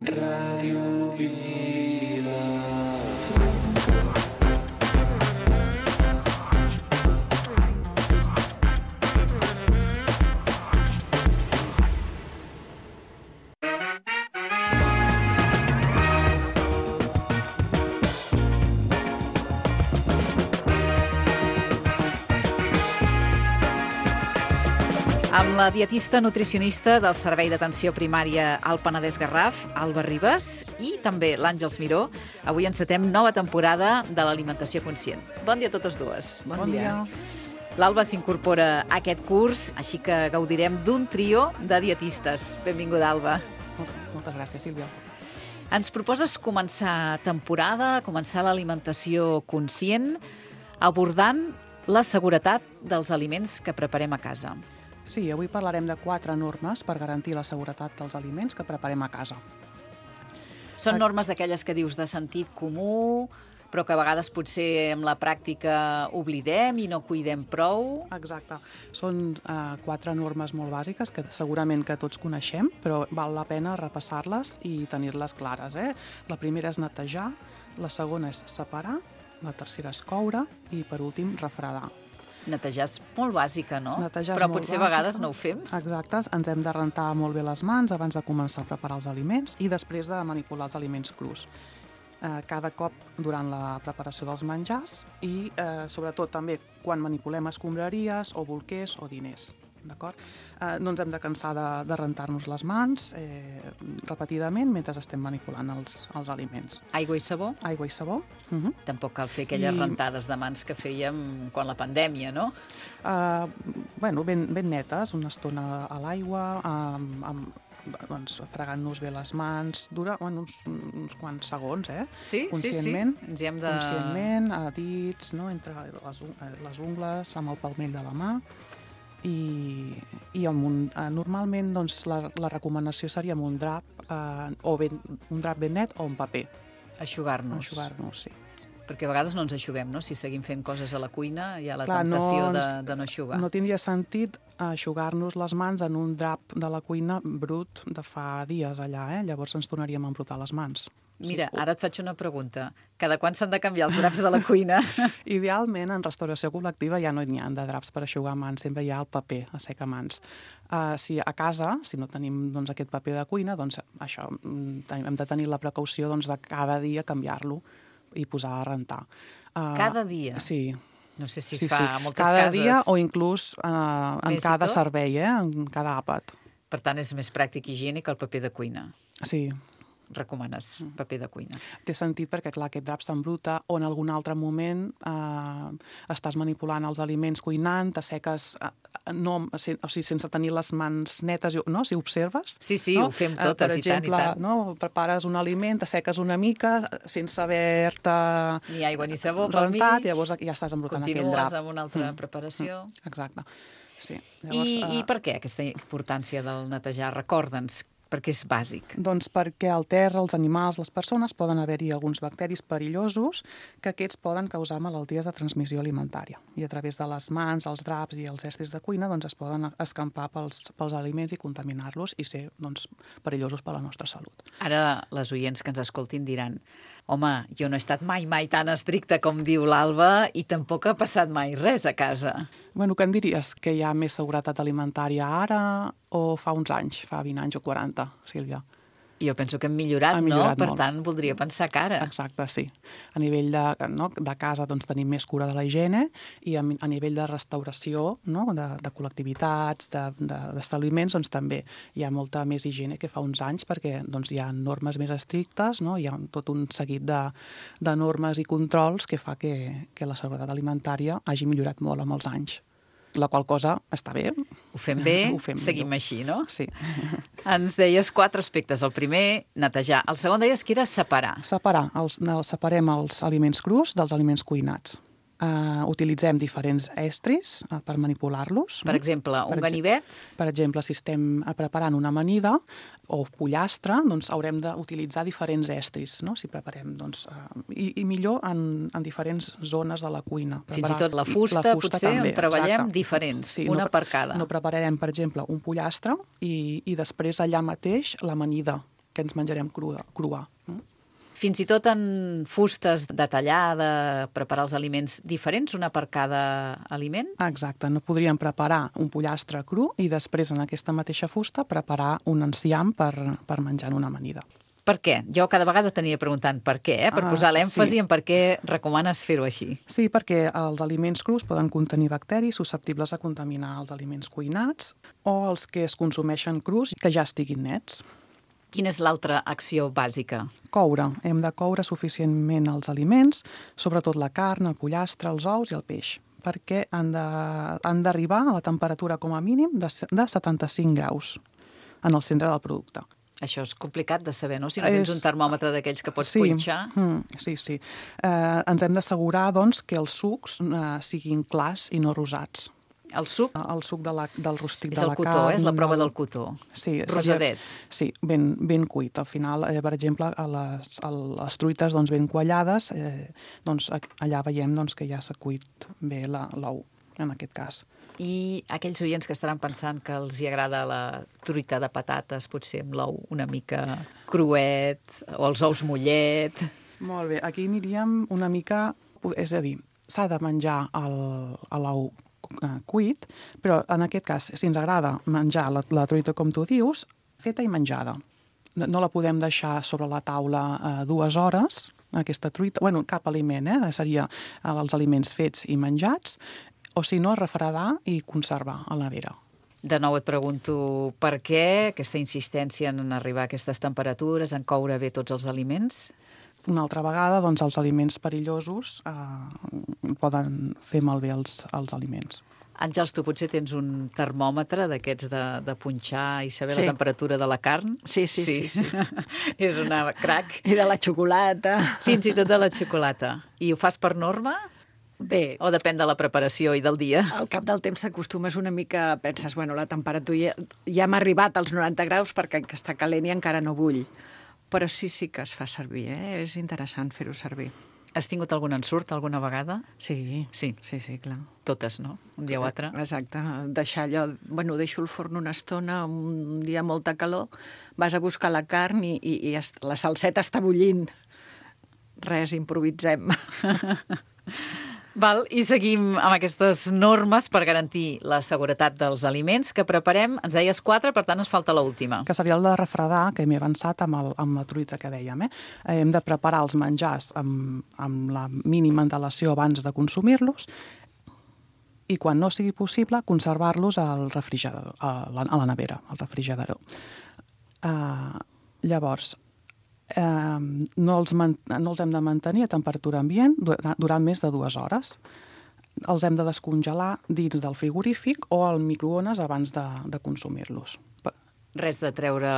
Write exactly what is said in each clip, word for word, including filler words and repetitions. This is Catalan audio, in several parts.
Ràdio Vila. Amb la dietista nutricionista del Servei d'Atenció Primària al Penedès Garraf, Alba Ribas, i també l'Àngels Miró, avui encetem nova temporada de l'Alimentació Conscient. Bon dia a totes dues. Bon, bon dia. dia. L'Alba s'incorpora a aquest curs, així que gaudirem d'un trio de dietistes. Benvinguda, Alba. Moltes gràcies, Sílvia. Ens proposes començar temporada, començar l'alimentació conscient, abordant la seguretat dels aliments que preparem a casa. Sí, avui parlarem de quatre normes per garantir la seguretat dels aliments que preparem a casa. Són normes d'aquelles que dius de sentit comú, però que a vegades potser amb la pràctica oblidem i no cuidem prou. Exacte. Són uh, quatre normes molt bàsiques que segurament que tots coneixem, però val la pena repassar-les i tenir-les clares. Eh? La primera és netejar, la segona és separar, la tercera és coure i, per últim, refredar. Netejar és molt bàsica, no? Netejar Però molt potser a bàsica. vegades no ho fem. Exacte, ens hem de rentar molt bé les mans abans de començar a preparar els aliments i després de manipular els aliments crus. Eh, cada cop durant la preparació dels menjars i eh, sobretot també quan manipulem escombraries o bolquers o diners. D'acord? Eh, no ens hem de cansar de, de rentar-nos les mans eh, repetidament mentre estem manipulant els, els aliments. Aigua i sabó? Aigua i sabó. Uh -huh. Tampoc cal fer aquelles I... rentades de mans que fèiem quan la pandèmia, no? Uh, bueno, ben, ben netes, una estona a l'aigua, amb, amb doncs, fregant-nos bé les mans, dura bueno, uns, uns quants segons, eh? Sí, conscientment, sí, sí. Ens hi hem de... Conscientment, a dits, no? Entre les, les ungles, amb el palmell de la mà. I, i amb un, eh, normalment doncs, la, la recomanació seria amb un drap, eh, o ben, un drap ben net o un paper. Aixugar-nos. Aixugar-nos, sí. Perquè a vegades no ens aixuguem, no? Si seguim fent coses a la cuina, hi ha la Clar, temptació no, de, de no aixugar. No tindria sentit aixugar-nos les mans en un drap de la cuina brut de fa dies allà, eh? Llavors ens tornaríem a embrutar les mans. Mira, ara et faig una pregunta. Cada quan s'han de canviar els draps de la cuina? Idealment, en restauració col·lectiva ja no n'hi ha de draps per aixugar mans, sempre hi ha el paper a secamans. Uh, si a casa, si no tenim doncs, aquest paper de cuina, doncs això, hem de tenir la precaució doncs, de cada dia canviar-lo i posar a rentar. Uh, cada dia? Sí. No sé si sí, es fa sí. a moltes cada cases. Cada dia o inclús uh, en cada servei, eh? En cada àpat. Per tant, és més pràctic i higiènic el paper de cuina. Sí. Recomanes paper de cuina. Té sentit perquè, clar, aquest drap s'embruta o en algun altre moment eh, estàs manipulant els aliments cuinant, t'asseques eh, no, o sigui, sense tenir les mans netes, no? Si observes. Sí, sí, no? ho fem totes, per exemple, i tant, i tant. No? Prepares un aliment, t'asseques una mica sense haver-te ni aigua ni sabó pel mig. Rentat, llavors ja estàs embrutant aquell drap. Continues amb una altra mm. preparació. Mm. Exacte. Sí. Llavors, I, uh... I per què aquesta importància del netejar? Recorda'ns, perquè és bàsic. Doncs perquè al terra, els animals, les persones, poden haver-hi alguns bacteris perillosos que aquests poden causar malalties de transmissió alimentària. I a través de les mans, els draps i els estris de cuina doncs, es poden escampar pels, pels aliments i contaminar-los i ser doncs, perillosos per a la nostra salut. Ara les oients que ens escoltin diran: home, jo no he estat mai, mai tan estricta com diu l'Alba i tampoc ha passat mai res a casa. Bueno, què en diries? Que hi ha més seguretat alimentària ara o fa uns anys, fa vint anys o quaranta, Sílvia? Jo penso que hem millorat, hem millorat no? Per molt. tant, voldria pensar que ara. Exacte, sí. A nivell de, no, de casa doncs, tenim més cura de la higiene i a, a nivell de restauració, no, de, de col·lectivitats, d'establiments, de, doncs, també hi ha molta més higiene que fa uns anys perquè doncs, hi ha normes més estrictes, no? Hi ha tot un seguit de, de normes i controls que fa que, que la seguretat alimentària hagi millorat molt amb els anys. La qual cosa està bé. Ho fem bé, Ho fem seguim millor. així, no? Sí. Ens deies quatre aspectes. El primer, netejar. El segon deies que era separar. Separar. Els, separem els aliments crus dels aliments cuinats. Uh, utilitzem diferents estris uh, per manipular-los. Per exemple, un per ganivet? Per exemple, si estem preparant una amanida o pollastre, doncs haurem d'utilitzar diferents estris, no? Si preparem, doncs, uh, i, i millor en, en diferents zones de la cuina. Fins i tot la fusta, la fusta potser, també, on treballem exacte. Diferents, sí, una no, per cada. No prepararem, per exemple, un pollastre i, i després allà mateix l'amanida. què ens menjarem crua. crua. Fins i tot en fustes de tallar, de preparar els aliments diferents, una per cada aliment? Exacte, no podríem preparar un pollastre cru i després en aquesta mateixa fusta preparar un enciam per, per menjar en una amanida. Per què? Jo cada vegada t'ania preguntant per què, eh? per Ah, posar l'èmfasi sí. en per què recomanes fer-ho així. Sí, perquè els aliments crus poden contenir bacteris susceptibles a contaminar els aliments cuinats o els que es consumeixen crus que ja estiguin nets. Quina és l'altra acció bàsica? Coure. Hem de coure suficientment els aliments, sobretot la carn, el pollastre, els ous i el peix, perquè han de, han d'arribar a la temperatura com a mínim de, de setanta-cinc graus en el centre del producte. Això és complicat de saber, no? Si no tens És... un termòmetre d'aquells que pots sí. punxar. Mm, sí, sí. Eh, ens hem d'assegurar, doncs, que els sucs eh, siguin clars i no rosats. El suc El suc de la, del rostit és de el la cotó, carn... eh? És la prova el... del cotó. Sí, rosadet. Sí, ben, ben cuit. Al final, eh, per exemple, a les, a les truites doncs, ben quallades, eh, doncs, allà veiem doncs, que ja s'ha cuit bé la, l'ou, en aquest cas. I aquells oients que estaran pensant que els hi agrada la truita de patates, potser amb l'ou una mica cruet, o els ous mollet... Molt bé, aquí aniríem una mica... És a dir, s'ha de menjar el, l'ou cuit, però en aquest cas, si ens agrada menjar la, la truita com tu dius, feta i menjada. No la podem deixar sobre la taula eh, dues hores, aquesta truita, bueno, cap aliment, eh? Seria els aliments fets i menjats, o si no, refredar i conservar a la nevera. De nou et pregunto per què aquesta insistència en arribar a aquestes temperatures, en coure bé tots els aliments? Una altra vegada, doncs, els aliments perillosos eh, poden fer malbé els, els aliments. Àngels, tu potser tens un termòmetre d'aquests de, de punxar i saber Sí. la temperatura de la carn? Sí, sí, sí, sí. És una crac. I de la xocolata. Fins i tot de la xocolata. I ho fas per norma? Bé, O depèn de la preparació i del dia? al cap del temps t'acostumes una mica, penses, bueno, la temperatura ja, ja m'ha arribat als noranta graus perquè està calent i encara no bull. Però sí, sí que es fa servir, eh? És interessant fer-ho servir. Has tingut algun ensurt alguna vegada? Sí, Sí. sí, sí, clar. Totes, no? Un dia o altre. Exacte. Deixar allò... Bueno, deixo el forn una estona, un dia amb molta calor, vas a buscar la carn i, i, i est- la salseta està bullint. Res, improvisem. Val, i seguim amb aquestes normes per garantir la seguretat dels aliments que preparem. Ens deies quatre, per tant ens falta l'última. Que seria el de refredar, que m'he avançat amb, el, amb la truita que dèiem. Eh? Hem de preparar els menjars amb, amb la mínima antelació abans de consumir-los i, quan no sigui possible, conservar-los al refrigerador, a la, a la nevera, al refrigerador. Uh, llavors, uh, no, els man, no els hem de mantenir a temperatura ambient durant, durant més de dues hores. Els hem de descongelar dins del frigorífic o al microones abans de, de consumir-los. Res de treure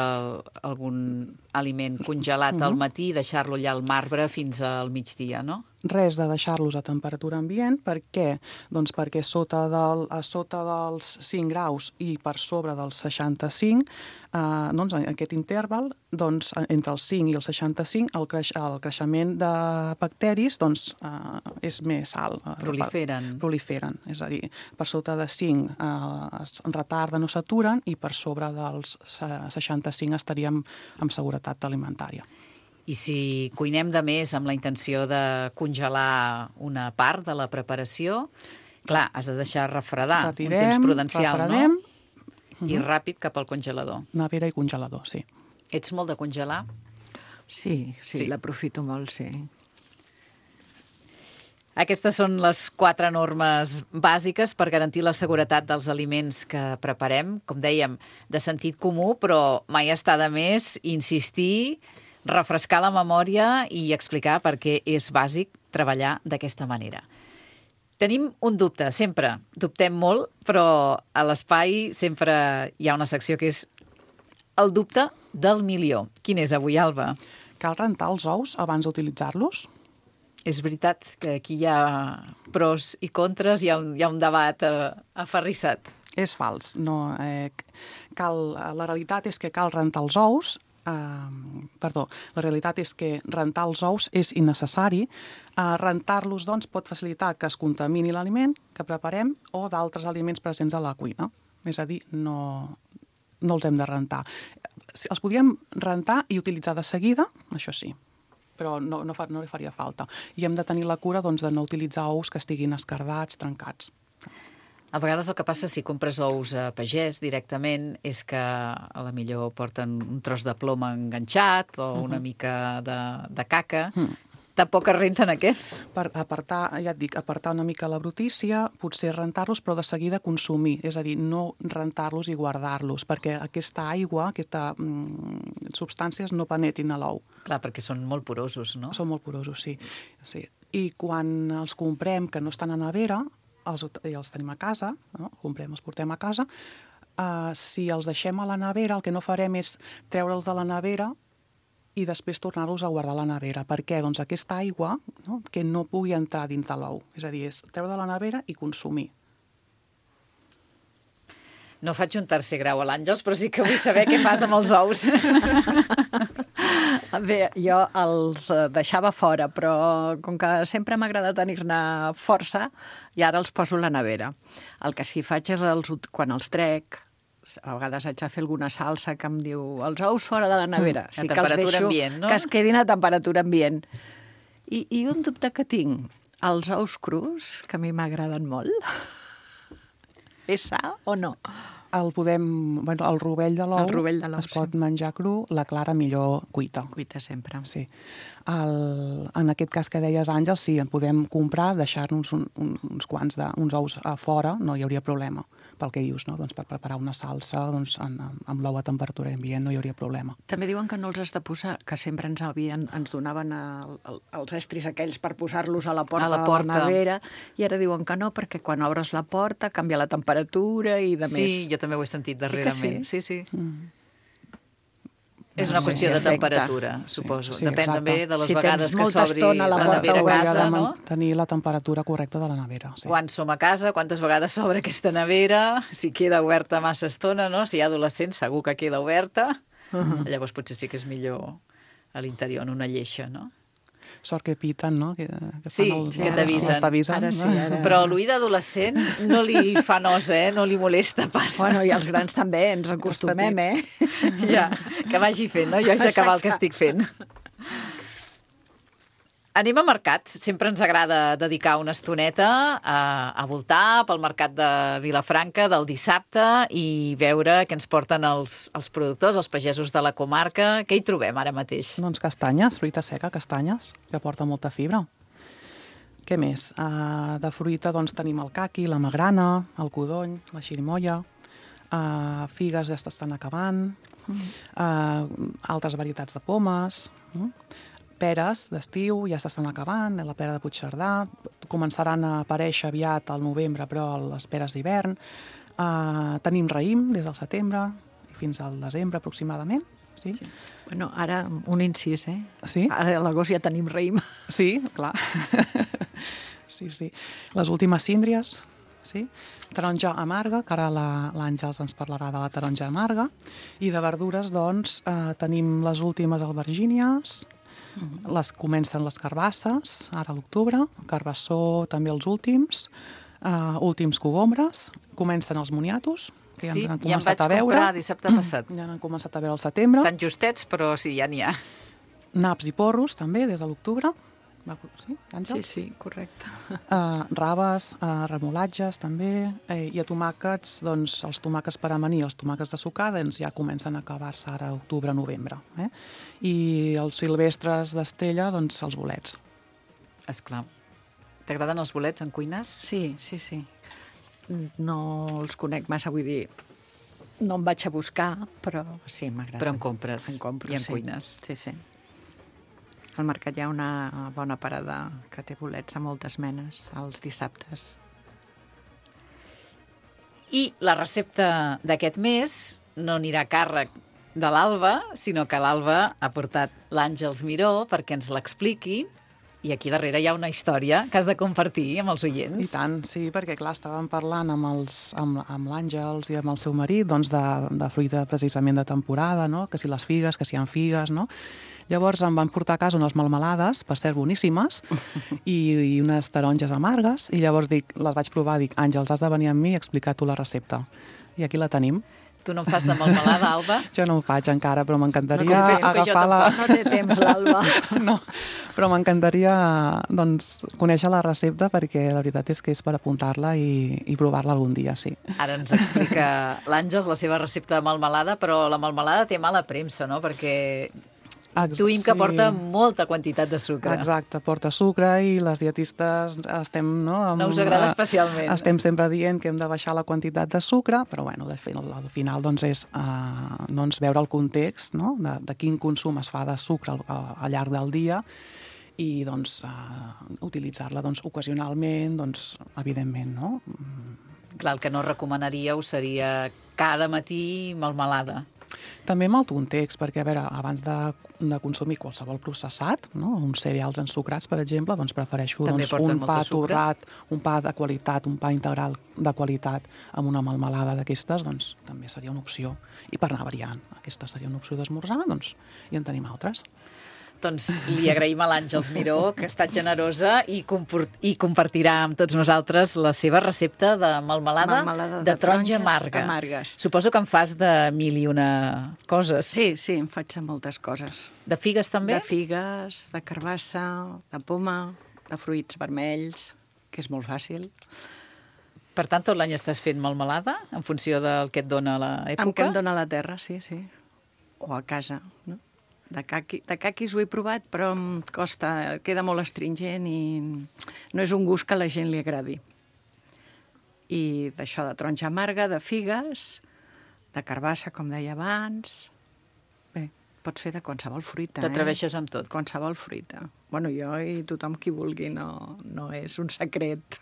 algun aliment congelat al matí i deixar-lo allà al marbre fins al migdia, no? Res de deixar-los a temperatura ambient. Per què? Doncs perquè sota, del, a sota dels cinc graus i per sobre dels seixanta-cinc, eh, doncs en aquest interval, doncs, entre els cinc i els seixanta-cinc, el, creix, el creixement de bacteris doncs, eh, és més alt. Proliferen. Proliferen, és a dir, per sota de cinc eh, es retarden o s'aturen i per sobre dels seixanta-cinc estaríem amb seguretat alimentària. I si cuinem de més amb la intenció de congelar una part de la preparació, clar, has de deixar refredar Retirem, un temps prudencial, refredem, no? I ràpid cap al congelador. Nevera i congelador, sí. Ets molt de congelar? Sí, sí, Sí. sí. l'aprofito molt, sí. Aquestes són les quatre normes bàsiques per garantir la seguretat dels aliments que preparem. Com dèiem, de sentit comú, però mai està de més insistir, refrescar la memòria i explicar per què és bàsic treballar d'aquesta manera. Tenim un dubte, sempre. Dubtem molt, però a l'espai sempre hi ha una secció que és el dubte del milió. Quin és avui, Alba? Cal rentar els ous abans d'utilitzar-los? És veritat que aquí hi ha pros i contres, hi ha un, hi ha un debat eh, aferrissat. És fals. No, eh, cal, la realitat és que cal rentar els ous. Eh, perdó, la realitat és que rentar els ous és innecessari. Eh, rentar-los, doncs, pot facilitar que es contamini l'aliment que preparem o d'altres aliments presents a la cuina. És a dir, no, no els hem de rentar. els podríem rentar i utilitzar de seguida, això sí, però no, no, fa, no li faria falta. I hem de tenir la cura doncs, de no utilitzar ous que estiguin escardats, trencats. A vegades el que passa si compres ous a pagès directament és que a la millor porten un tros de ploma enganxat o una uh-huh. mica de, de caca. Uh-huh. Tampoc es renten aquests? Per apartar, ja et dic, apartar una mica la brutícia, potser rentar-los, però de seguida consumir. És a dir, no rentar-los i guardar-los, perquè aquesta aigua, aquesta mm, substàncies no penetrin a l'ou. Clar, perquè són molt porosos, no? Són molt porosos, sí. sí. I quan els comprem, que no estan a nevera, els, i els tenim a casa, no? comprem, els portem a casa, uh, si els deixem a la nevera, el que no farem és treure'ls de la nevera i després tornar-los a guardar a la nevera. Per què? Doncs aquesta aigua, no? que no pugui entrar dins de l'ou. És a dir, és treure de la nevera i consumir. No faig un tercer grau a l'Àngels, però sí que vull saber què fas amb els ous. Bé, jo els deixava fora, però com que sempre m'agrada tenir-ne força, i ara els poso a la nevera. El que sí faig és, els, quan els trec, a vegades haig de fer alguna salsa que em diu els ous fora de la nevera. Mm, sí a que els temperatura deixo ambient, no? Que es quedin a temperatura ambient. I, I un dubte que tinc, els ous crus, que a mi m'agraden molt, és sa o no? El podem... Bueno, el rovell de l'ou es sí. pot menjar cru, la clara millor cuita. Cuita sempre. Sí. El, en aquest cas que deies, Àngels, sí, en podem comprar, deixar-nos un, un, uns quants de, uns ous a fora, no hi hauria problema. Pel que dius, no? Doncs per preparar una salsa doncs, en, amb l'ou a temperatura ambient no hi hauria problema. També diuen que no els has de posar, que sempre ens, havien, ens donaven el, el, els estris aquells per posar-los a la porta, a la porta de la nevera, i ara diuen que no, perquè quan obres la porta canvia la temperatura i de sí, més. Sí, jo també ho he sentit darrerament. Sí, sí. sí. Mm. És una No, qüestió sí, de efecte. temperatura, suposo. Sí, sí, Depèn exacte. també de les Si vegades tens que molta s'obri estona a la la porta nevera a s'hauria casa, de no? mantenir la temperatura correcta de la nevera. Sí. Quan som a casa, quantes vegades s'obre aquesta nevera, si queda oberta massa estona, no? Si hi ha adolescents, segur que queda oberta. Uh-huh. Llavors potser sí que és millor a l'interior, en una lleixa, no? Sort que piten, no? Que, que Sí, el, que t'avisen. Ara sí, ara... Però l'ull d'adolescent no li fa nosa, eh? No li molesta pas. Bueno, i els grans també, ens acostumem, eh? Ja, que vagi fent, no? Jo haig d'acabar el que estic fent. Anem a mercat. Sempre ens agrada dedicar una estoneta a, a voltar pel mercat de Vilafranca del dissabte i veure què ens porten els, els productors, els pagesos de la comarca. Què hi trobem ara mateix? Doncs castanyes, fruita seca, castanyes, que porta molta fibra. Què més? Uh, de fruita doncs, tenim el caqui, la magrana, el codony, la xirimoia, uh, figues ja estan acabant, uh, altres varietats de pomes, uh, peres d'estiu ja s'estan acabant, la pera de Puigcerdà, començaran a aparèixer aviat al novembre, però les peres d'hivern. Uh, tenim raïm des del setembre fins al desembre aproximadament. Sí. Sí. Bueno, ara un incís, eh? Sí? Ara a l'agost ja tenim raïm. Sí, clar. sí, sí. Les últimes síndries, sí. Taronja amarga, que ara l'Àngels ens parlarà de la taronja amarga. I de verdures, doncs, eh, tenim les últimes albergínies, mm-hmm. les comencen les carbasses, ara a l'octubre, carbassó també els últims, eh, últims cogombres, comencen els moniatos, que ja sí, han ja em començat vaig a veure. comprar dissabte passat. Ja han començat a veure al setembre. Tan justets, però sí, ja n'hi ha. Naps i porros, també, des de l'octubre. Sí, sí, sí, correcte. Uh, raves, uh, remolatges, també. Eh, I a tomàquets, doncs, els tomàquets per amanir, els tomàquets de sucar, doncs ja comencen a acabar-se ara a octubre, novembre. Eh? I els silvestres d'estrella, doncs, els bolets. Esclar. T'agraden els bolets en cuines? Sí, sí, sí. No els conec massa, vull dir, no em vaig a buscar, però sí, m'agrada. Però en compres, en compres i en sí. cuines. Sí, sí. Al mercat hi ha una bona parada que té bolets de moltes menes, els dissabtes. I la recepta d'aquest mes no anirà a càrrec de l'Alba, sinó que l'Alba ha portat l'Àngels Miró perquè ens l'expliqui. I aquí darrere hi ha una història que has de compartir amb els oients. I tant, sí, perquè clar, estàvem parlant amb, els, amb, amb l'Àngels i amb el seu marit doncs, de, de fruita precisament de temporada, no? Que si les figues, que si hi ha figues, no? Llavors em van portar a casa unes melmelades, per cert boníssimes, i, i unes taronges amargues, i llavors dic, les vaig provar, dic, Àngels, has de venir amb mi i explicar tu la recepta. I aquí la tenim. Tu no en fas de melmelada, Alba? Jo no ho faig encara, però m'encantaria No confesso que jo agafar la... No té temps, l'Alba. No, però m'encantaria doncs, conèixer la recepta perquè la veritat és que és per apuntar-la i, i provar-la algun dia, sí. Ara ens explica l'Àngels la seva recepta de melmelada, però la melmelada té mala premsa, no? Perquè intuïm que sí. porta molta quantitat de sucre. Exacte, porta sucre i les dietistes estem... No, amb, No us agrada especialment. Estem sempre dient que hem de baixar la quantitat de sucre, però bueno, de fet, al final doncs, és uh, doncs, veure el context, no? de, de quin consum es fa de sucre al, al, al llarg del dia i doncs, uh, utilitzar-la doncs, ocasionalment, doncs, evidentment. No? Clar, el que no recomanaríeu seria cada matí melmelada. També amb el context, perquè, a veure, abans de, de consumir qualsevol processat, no? uns cereals ensucrats, per exemple, doncs prefereixo doncs, un pa torrat, un pa de qualitat, un pa integral de qualitat amb una melmelada d'aquestes, doncs també seria una opció. I per anar variant, aquesta seria una opció d'esmorzar, doncs, i en tenim altres. Doncs li agraïm a l'Àngels Miró, que ha estat generosa i, i compartirà amb tots nosaltres la seva recepta de melmelada, melmelada de, de taronja taronges amarga. amargues. Suposo que en fas de mil i una coses. Sí, sí, em faig de moltes coses. De figues també? De figues, de carbassa, de poma, de fruits vermells, que és molt fàcil. Per tant, tot l'any estàs fent melmelada, en funció del que et dona l'època? Amb què em dona la terra, sí, sí. O a casa, no? De, caqui, de caquis ho he provat, però em costa, queda molt astringent i no és un gust que a la gent li agradi. I d'això de taronja amarga, de figues, de carbassa, com deia abans. Bé, pots fer de qualsevol fruita. T'atreveixes eh? amb tot. Qualsevol fruita. Bueno, jo i tothom qui vulgui, no, no és un secret.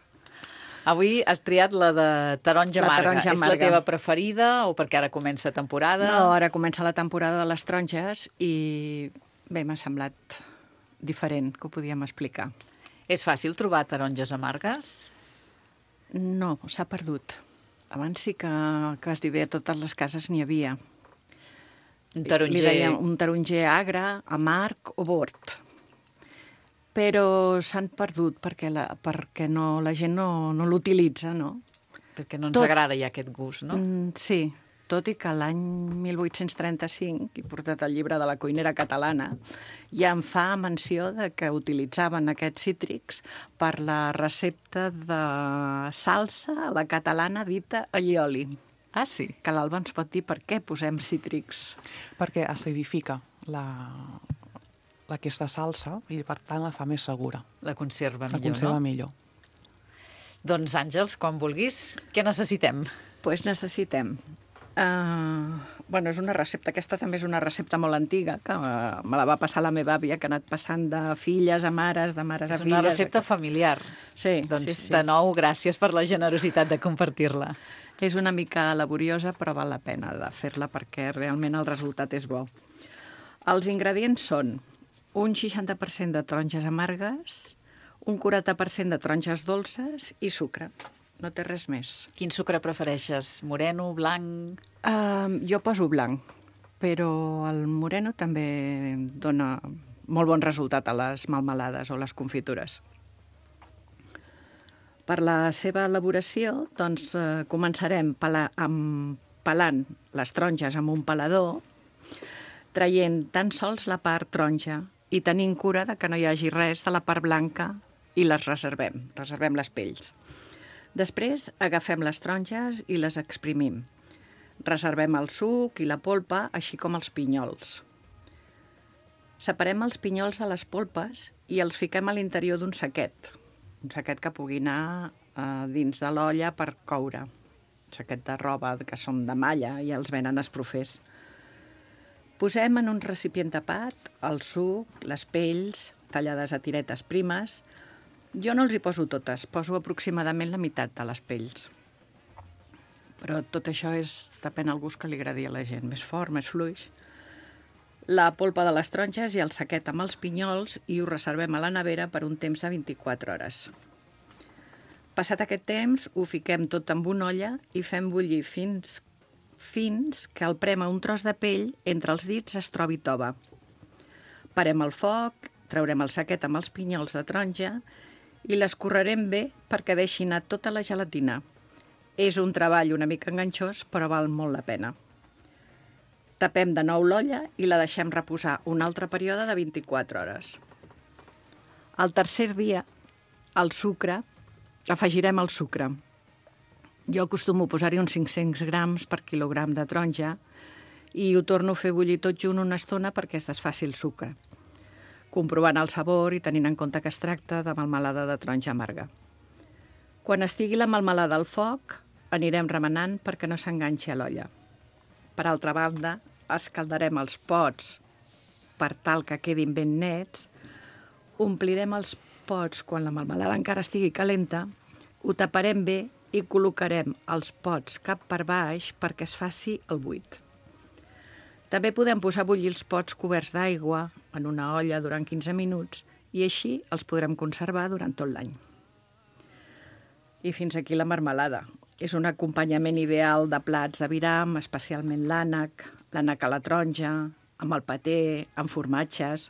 Avui has triat la de taronja La amarga. taronja És la amarga. teva preferida o perquè ara comença temporada? No, ara comença la temporada de les taronges i bé, m'ha semblat diferent, que ho podíem explicar. És fàcil trobar taronges amargues? No, s'ha perdut. Abans sí que, que es diu bé, a totes les cases n'hi havia. Un taronger... Li deien un taronger agre, amarg o bord. Però s'han perdut perquè la, perquè no, la gent no, no l'utilitza, no? Perquè no ens Tot- agrada ja aquest gust, no? Mm, sí, tot i que l'any mil vuit-cents trenta-cinc, he portat el llibre de la cuinera catalana, ja em fa menció de que utilitzaven aquests cítrics per la recepta de salsa a la catalana dita allioli. Ah, sí? Que l'Alba ens pot dir per què posem cítrics. Perquè acidifica la, aquesta salsa i, per tant, la fa més segura. La conserva La millor, conserva no? millor. Doncs, Àngels, quan vulguis, què necessitem? Doncs pues necessitem... Uh, bueno, és una recepta, aquesta també és una recepta molt antiga, que uh, me la va passar la meva àvia, que ha anat passant de filles a mares, de mares a És filles... una recepta familiar. Sí, Doncs, sí, sí. de nou, gràcies per la generositat de compartir-la. És una mica laboriosa, però val la pena de fer-la perquè realment el resultat és bo. Els ingredients són un seixanta per cent de taronges amargues, un quaranta per cent de taronges dolces i sucre. No té res més. Quin sucre prefereixes? Moreno, blanc? Uh, jo poso blanc, però el moreno també dona molt bon resultat a les melmelades o les confitures. Per la seva elaboració, doncs, eh, començarem pela, amb, pelant les taronges amb un pelador, traient tan sols la part taronja i tenint cura de que no hi hagi res de la part blanca i les reservem, reservem les pells. Després agafem les taronges i les exprimim. Reservem el suc i la polpa, així com els pinyols. Separem els pinyols de les polpes i els fiquem a l'interior d'un saquet. Un saquet que pugui anar eh, dins de l'olla per coure. Un saquet de roba que són de malla i els venen esprofers. Posem en un recipient tapat el suc, les pells, tallades a tiretes primes. Jo no els hi poso totes, poso aproximadament la meitat de les pells. Però tot això és, depèn del gust que li agradi a la gent, més fort, més fluix. La polpa de les taronges i el saquet amb els pinyols i ho reservem a la nevera per un temps de vint-i-quatre hores. Passat aquest temps, ho fiquem tot en una olla i fem bullir fins, fins que el prema un tros de pell entre els dits es trobi tova. Parem el foc, traurem el saquet amb els pinyols de taronja i l'escorrerem bé perquè deixi anar tota la gelatina. És un treball una mica enganxós, però val molt la pena. Tapem de nou l'olla i la deixem reposar un altre període de vint-i-quatre hores. Al tercer dia, el sucre, afegirem el sucre. Jo acostumo a posar-hi uns cinc-cents grams per quilogram de taronja i ho torno a fer bullir tot junt una estona perquè es desfaci el sucre, comprovant el sabor i tenint en compte que es tracta de melmelada de taronja amarga. Quan estigui la melmelada al foc, anirem remenant perquè no s'enganxi a l'olla. Per altra banda, escaldarem els pots per tal que quedin ben nets, omplirem els pots quan la melmelada encara estigui calenta, ho taparem bé i col·locarem els pots cap per baix perquè es faci el buit. També podem posar a bullir els pots coberts d'aigua en una olla durant quinze minuts i així els podrem conservar durant tot l'any. I fins aquí la marmelada. És un acompanyament ideal de plats d'aviram, especialment l'ànec, l'ànec a la taronja, amb el paté, amb formatges,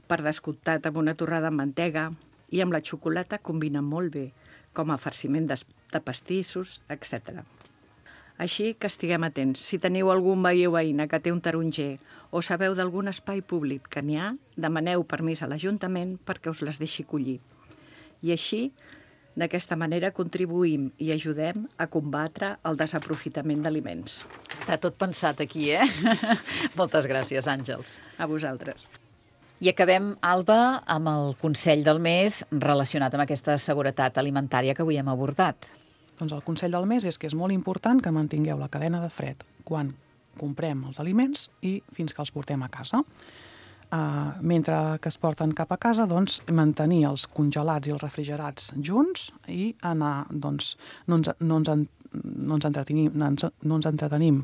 per descomptat amb una torrada amb mantega i amb la xocolata combina molt bé, com a farciment de, de pastissos, etcètera. Així que estiguem atents. Si teniu algun veí o veïna que té un taronger o sabeu d'algun espai públic que n'hi ha, demaneu permís a l'Ajuntament perquè us les deixi collir. I així, d'aquesta manera, contribuïm i ajudem a combatre el desaprofitament d'aliments. Està tot pensat aquí, eh? Moltes gràcies, Àngels. A vosaltres. I acabem, Alba, amb el consell del mes relacionat amb aquesta seguretat alimentària que avui hem abordat. Doncs el consell del mes és que és molt important que mantingueu la cadena de fred quan comprem els aliments i fins que els portem a casa. Uh, mentre que es porten cap a casa, doncs, mantenir els congelats i els refrigerats junts i anar, doncs, no ens, no ens, en, no ens, entretenim, no ens, no ens entretenim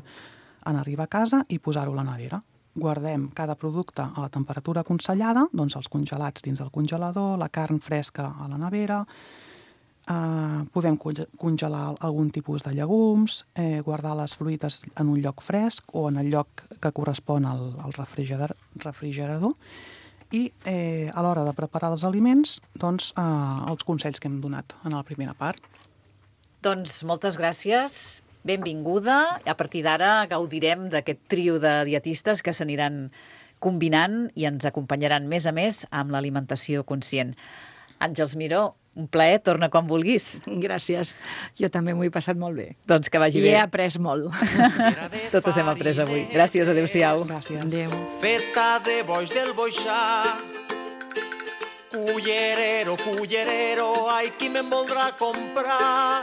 en arribar a casa i posar-ho a la nevera. Guardem cada producte a la temperatura aconsellada, doncs els congelats dins del congelador, la carn fresca a la nevera, eh, podem congelar algun tipus de llegums, eh, guardar les fruites en un lloc fresc o en el lloc que correspon al, al refrigerador, refrigerador i eh, a l'hora de preparar els aliments, doncs, eh, els consells que hem donat en la primera part. Doncs moltes gràcies. Benvinguda. A partir d'ara gaudirem d'aquest trio de dietistes que s'aniran combinant i ens acompanyaran més a més amb l'alimentació conscient. Àngels Miró, un plaer, torna quan vulguis. Gràcies. Jo també m'ho he passat molt bé. Doncs que vagi I bé. he après molt. Totes hem après avui. Gràcies, adéu-siau. Gràcies. Adéu. Feta de boix del boixà, cullerero, cullerero, ai, qui me'n voldrà comprar?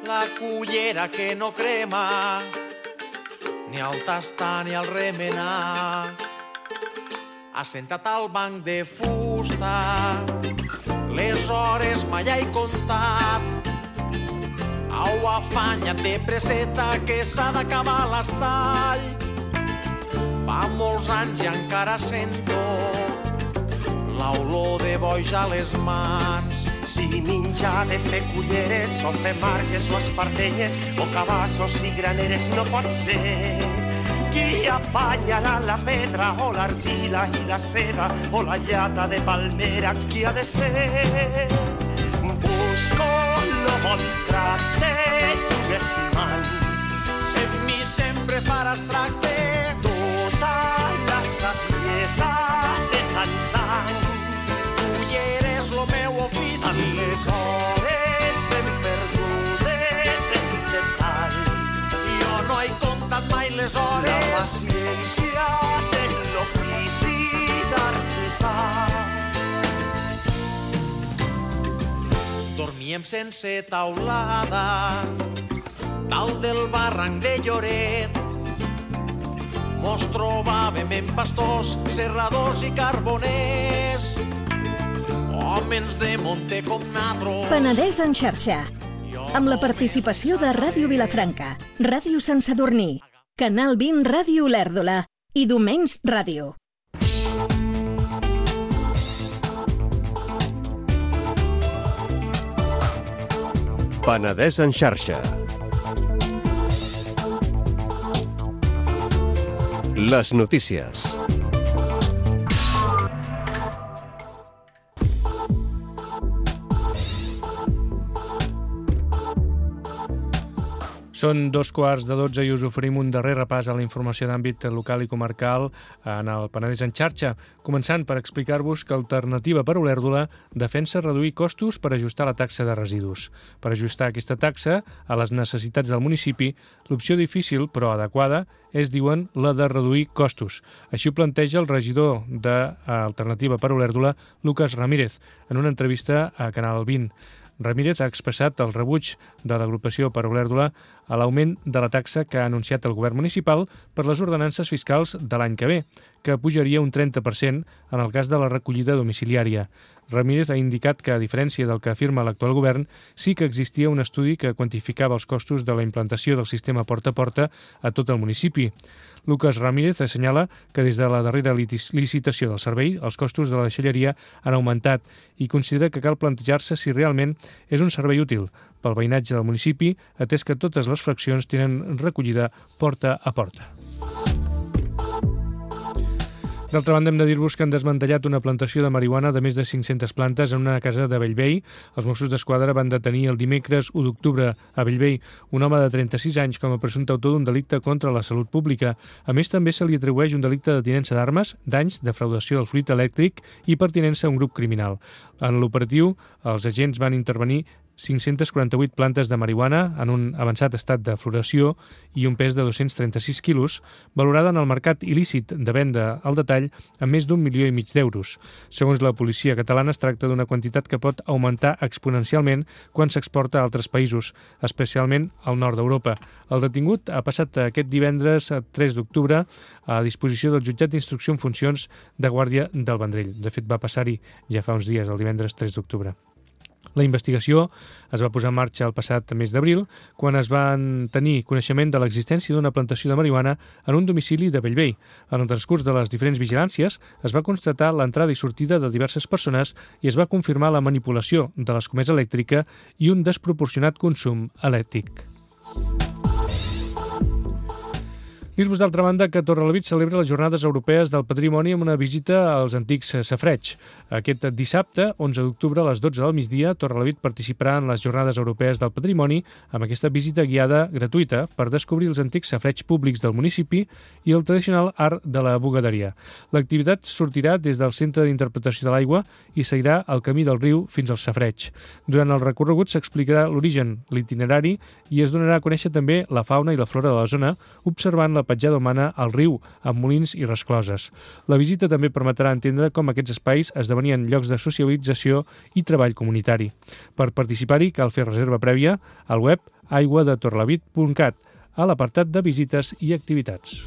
La cullera que no crema, ni al tastar ni al remenar. Assentat al banc de fusta, les hores mai he comptat. Au, afanya't de preseta que s'ha d'acabar l'estall. Fa molts anys i encara sento l'olor de boix a les mans. Si menjar de fer culleres o fer marges o espardenyes o cabassos i graneres no pot ser. Qui apanyarà la pedra o l'argila i la seda o la llata de palmera, qui ha de ser? Busco no bon tracte, digues man. En mi sempre faràs tracte, Tota la saviesa de tant sang. culler és lo meu ofici. Amb les hores ben perdudes en detall. Jo no he comptat mai les La hores. paciència de l'ofici d'artesà. Dormíem sense taulada, dalt del barranc de Lloret. Mos trobàvem en pastors, serradors i carboners, homes de monte com natros. Penedès en xarxa, amb la participació de Ràdio Vilafranca, Ràdio Sant Sadurní, Canal vint Ràdio Olèrdola i Domenys Ràdio. Penedès en xarxa. Les notícies. Són dos quarts de dotze i us oferim un darrer repàs a la informació d'àmbit local i comarcal en el Penedès en xarxa, començant per explicar-vos que Alternativa per Olèrdola defensa reduir costos per ajustar la taxa de residus. Per ajustar aquesta taxa a les necessitats del municipi, l'opció difícil però adequada és, diuen, la de reduir costos. Així ho planteja el regidor d'Alternativa per Olèrdola, Lucas Ramírez, en una entrevista a Canal vint. Ramírez ha expressat el rebuig de l'agrupació per Olèrdola a l'augment de la taxa que ha anunciat el govern municipal per les ordenances fiscals de l'any que ve, que pujaria un trenta per cent en el cas de la recollida domiciliària. Ramírez ha indicat que, a diferència del que afirma l'actual govern, sí que existia un estudi que quantificava els costos de la implantació del sistema porta a porta a tot el municipi. Lucas Ramírez assenyala que des de la darrera licitació del servei els costos de la deixalleria han augmentat i considera que cal plantejar-se si realment és un servei útil pel veïnatge del municipi, atès que totes les fraccions tenen recollida porta a porta. D'altra banda, hem de dir-vos que han desmantellat una plantació de marihuana de més de cinc-centes plantes en una casa de Bellvei. Els Mossos d'Esquadra van detenir el dimecres u d'octubre a Bellvei un home de trenta-sis anys com a presumpte autor d'un delicte contra la salut pública. A més, també se li atribueix un delicte de tinença d'armes, danys, defraudació del fluid elèctric i pertinença a un grup criminal. En l'operatiu, els agents van intervenir cinc-centes quaranta-vuit plantes de marihuana en un avançat estat de floració i un pes de dos-cents trenta-sis quilos, valorada en el mercat il·lícit de venda al detall amb més d'un milió i mig d'euros. Segons la policia catalana, es tracta d'una quantitat que pot augmentar exponencialment quan s'exporta a altres països, especialment al nord d'Europa. El detingut ha passat aquest divendres tres d'octubre a disposició del jutjat d'instrucció en funcions de Guàrdia del Vendrell. De fet, va passar-hi ja fa uns dies, el divendres tres d'octubre. La investigació es va posar en marxa el passat mes d'abril, quan es van tenir coneixement de l'existència d'una plantació de marihuana en un domicili de Bellvei. En el transcurs de les diferents vigilàncies es va constatar l'entrada i sortida de diverses persones i es va confirmar la manipulació de l'escomesa elèctrica i un desproporcionat consum elèctric. Dir-vos, d'altra banda, que Torrelavit celebra les Jornades Europees del Patrimoni amb una visita als antics safareigs. Aquest dissabte, onze d'octubre, a les dotze del migdia, Torrelavit participarà en les Jornades Europees del Patrimoni amb aquesta visita guiada gratuïta per descobrir els antics safareigs públics del municipi i el tradicional art de la bugaderia. L'activitat sortirà des del Centre d'Interpretació de l'Aigua i seguirà el camí del riu fins als safareigs. Durant el recorregut s'explicarà l'origen, l'itinerari i es donarà a conèixer també la fauna i la flora de la zona, observant la petjada humana al riu, amb molins i rescloses. La visita també permetrà entendre com aquests espais esdevenien llocs de socialització i treball comunitari. Per participar-hi cal fer reserva prèvia al web aigua de torrelavit punt cat, a l'apartat de visites i activitats.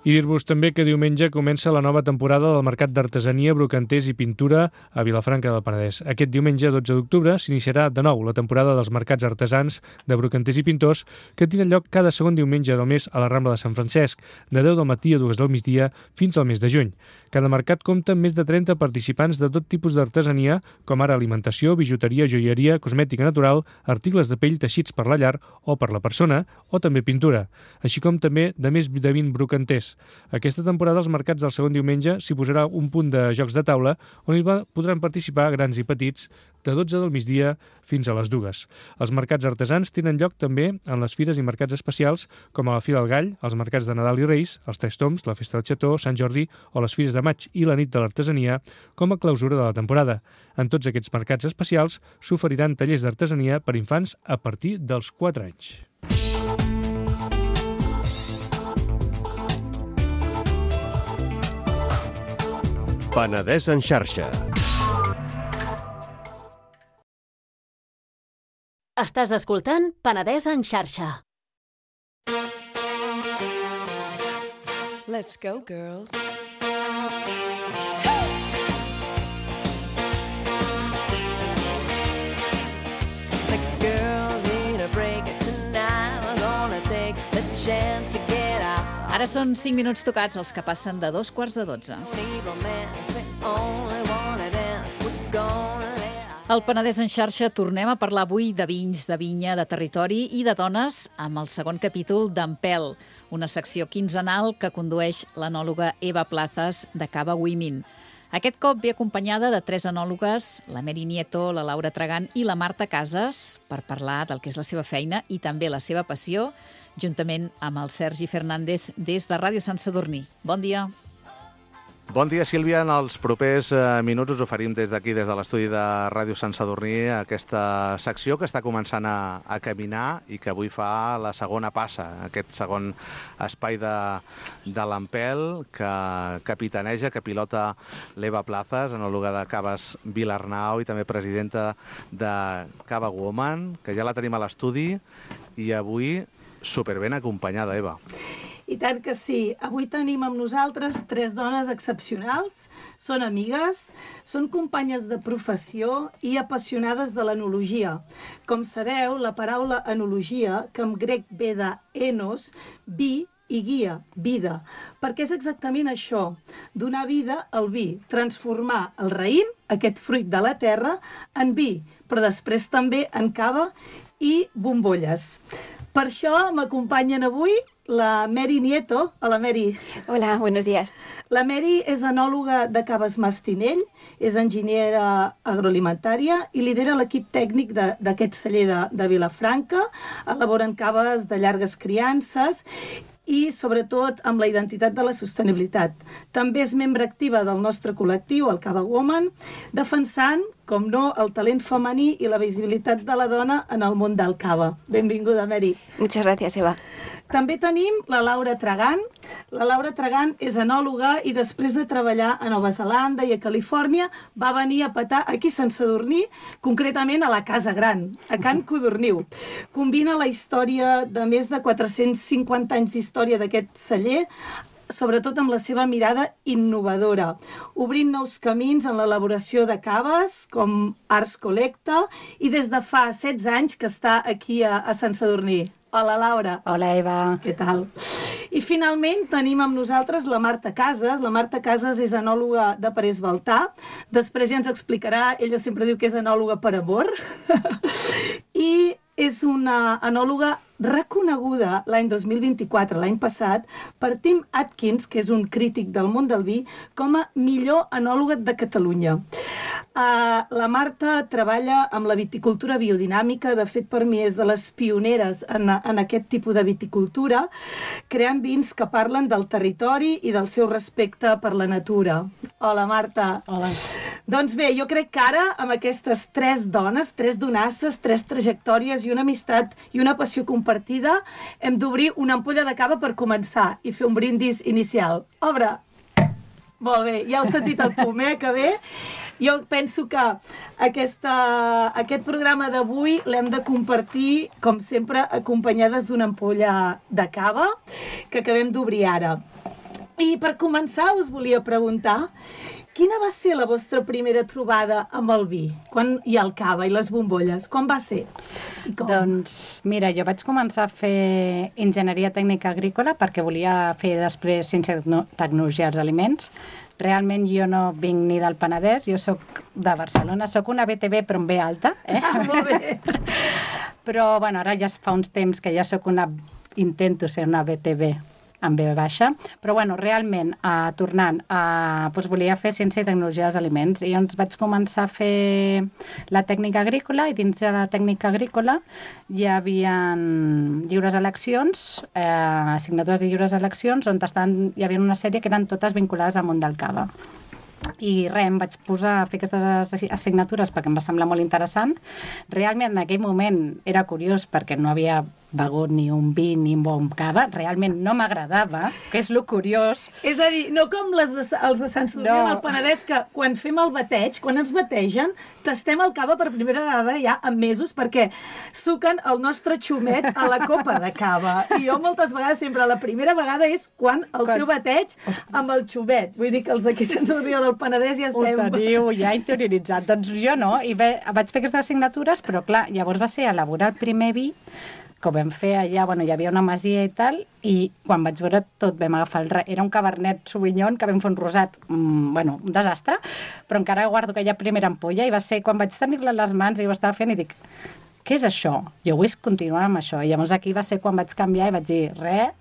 I dir-vos també que diumenge comença la nova temporada del Mercat d'Artesania, Brocanters i Pintura a Vilafranca del Penedès. Aquest diumenge, dotze d'octubre, s'iniciarà de nou la temporada dels mercats artesans de brocanters i pintors que tenen lloc cada segon diumenge del mes a la Rambla de Sant Francesc, de deu del matí a dues del migdia fins al mes de juny. Cada mercat compta amb més de trenta participants de tot tipus d'artesania, com ara alimentació, bijuteria, joieria, cosmètica natural, articles de pell teixits per la llar o per la persona, o també pintura, així com també de més de vint brocanters. Aquesta temporada als mercats del segon diumenge s'hi posarà un punt de jocs de taula on hi podran participar grans i petits de dotze del migdia fins a les dues. Els mercats artesans tenen lloc també en les fires i mercats especials com a la Fira del Gall, els mercats de Nadal i Reis, els Tres Toms, la Festa del Xató, Sant Jordi o les Fires de Maig i la Nit de l'Artesania com a clausura de la temporada. En tots aquests mercats especials s'oferiran tallers d'artesania per infants a partir dels quatre anys. Penedès en xarxa. Estàs escoltant Penedès en xarxa. Let's go, girls. The girls need a break tonight. We're gonna take the chance to get out. Ara són cinc minuts tocats, els que passen de dos quarts de dotze. Al Penedès en xarxa tornem a parlar avui de vins, de vinya, de territori i de dones amb el segon capítol d'Empel, una secció quinzenal que condueix l'enòloga Eva Plazas de Cava Women. Aquest cop ve acompanyada de tres enòlogues, la Mary Nieto, la Laura Tragant i la Marta Casas, per parlar del que és la seva feina i també la seva passió, juntament amb el Sergi Fernández des de Ràdio Sant Sadurní. Bon dia. Bon dia, Sílvia. En els propers eh, minuts us oferim des d'aquí, des de l'estudi de Ràdio Sant Sadurní, aquesta secció que està començant a, a caminar i que avui fa la segona passa, aquest segon espai de, de l'Ampel que capitaneja, que pilota l'Eva Plazas, enòloga de Caves Vilarnau i també presidenta de Cava Woman, que ja la tenim a l'estudi i avui superben acompanyada, Eva. I tant que sí. Avui tenim amb nosaltres tres dones excepcionals, són amigues, són companyes de professió i apassionades de l'enologia. Com sabeu, la paraula enologia, que en grec ve de enos, vi i guia, vida, perquè és exactament això, donar vida al vi, transformar el raïm, aquest fruit de la terra, en vi, però després també en cava i bombolles. Per això m'acompanyen avui la Mary Nieto. Hola, Mary. Hola, buenos días. La Mary és enòloga de Caves Mastinell, és enginyera agroalimentària i lidera l'equip tècnic d'aquest celler de, de Vilafranca. Elaboren caves de llargues criances i, sobretot, amb la identitat de la sostenibilitat. També és membre activa del nostre col·lectiu, el Cava Woman, defensant, com no, el talent femení i la visibilitat de la dona en el món del cava. Benvinguda, Mary. Muchas gracias, Eva. També tenim la Laura Tragant. La Laura Tragant és enòloga i després de treballar a Nova Zelanda i a Califòrnia va venir a petar aquí a Sant Sadurní, concretament a la Casa Gran, a Can Codorniu. Combina la història de més de quatre-cents cinquanta anys d'història d'aquest celler, sobretot amb la seva mirada innovadora, obrint nous camins en l'elaboració de caves, com Arts Collecta, i des de fa setze anys que està aquí a, a Sant Sadurní. Hola, Laura. Hola, Eva. Què tal? I finalment tenim amb nosaltres la Marta Casas. La Marta Casas és enòloga de Parés Baltà. Després ja ens explicarà, ella sempre diu que és enòloga per amor. I és una enòloga reconeguda l'any dos mil vint-i-quatre, l'any passat, per Tim Atkins, que és un crític del món del vi, com a millor enòloga de Catalunya. Uh, la Marta treballa amb la viticultura biodinàmica, de fet per mi és de les pioneres en, en aquest tipus de viticultura, creant vins que parlen del territori i del seu respecte per la natura. Hola, Marta. Hola. Doncs bé, jo crec que ara, amb aquestes tres dones, tres donasses, tres trajectòries i una amistat i una passió compartida, hem d'obrir una ampolla de cava per començar i fer un brindis inicial. Obre! Molt bé, ja heu sentit el pum, eh, que bé. Jo penso que aquesta, aquest programa d'avui l'hem de compartir, com sempre, acompanyades d'una ampolla de cava que acabem d'obrir ara. I per començar us volia preguntar quina va ser la vostra primera trobada amb el vi quan, i el cava i les bombolles? Quan va ser? I com? Doncs, mira, jo vaig començar a fer enginyeria tècnica agrícola perquè volia fer després ciència i tecnologia dels aliments. Realment jo no vinc ni del Penedès, jo sóc de Barcelona, sóc una B T B però amb B alta. Eh? Ah, molt bé. Però, bueno, ara ja fa uns temps que ja sóc una... intento ser una B T B amb B baixa, però bueno, realment, eh, tornant, eh, doncs volia fer ciència i tecnologia dels aliments i llavors vaig començar a fer la tècnica agrícola i dins de la tècnica agrícola hi havia lliures eleccions, eh, assignatures de lliures eleccions on estan, hi havia una sèrie que eren totes vinculades al món del cava. I res, em vaig posar a fer aquestes assignatures perquè em va semblar molt interessant. Realment en aquell moment era curiós perquè no havia begut ni un vi ni un bon cava, realment no m'agradava, que és lo curiós. És a dir, no com les de, els de Sant Sadurní no. del Penedès, que quan fem el bateig, quan ens bategen, tastem el cava per primera vegada ja en mesos perquè suquen el nostre xumet a la copa de cava. I jo moltes vegades, sempre la primera vegada és quan el quan... teu bateig amb el xumet. Vull dir que els d'aquí Sant Sadurní del Penedès ja estem... Ho teniu ja interioritzat. Doncs jo no, i ve, vaig fer aquestes assignatures, però clar, llavors va ser elaborar el primer vi que ho vam fer allà, bueno, hi havia una masia i tal, i quan vaig veure tot vam agafar el... Era un Cabernet Sauvignon que vam fer un rosat, mmm, bueno, un desastre, però encara guardo aquella primera ampolla i va ser quan vaig tenir-la a les mans i ho estava fent i dic, què és això? Jo vull continuar amb això. I llavors aquí va ser quan vaig canviar i vaig dir, res,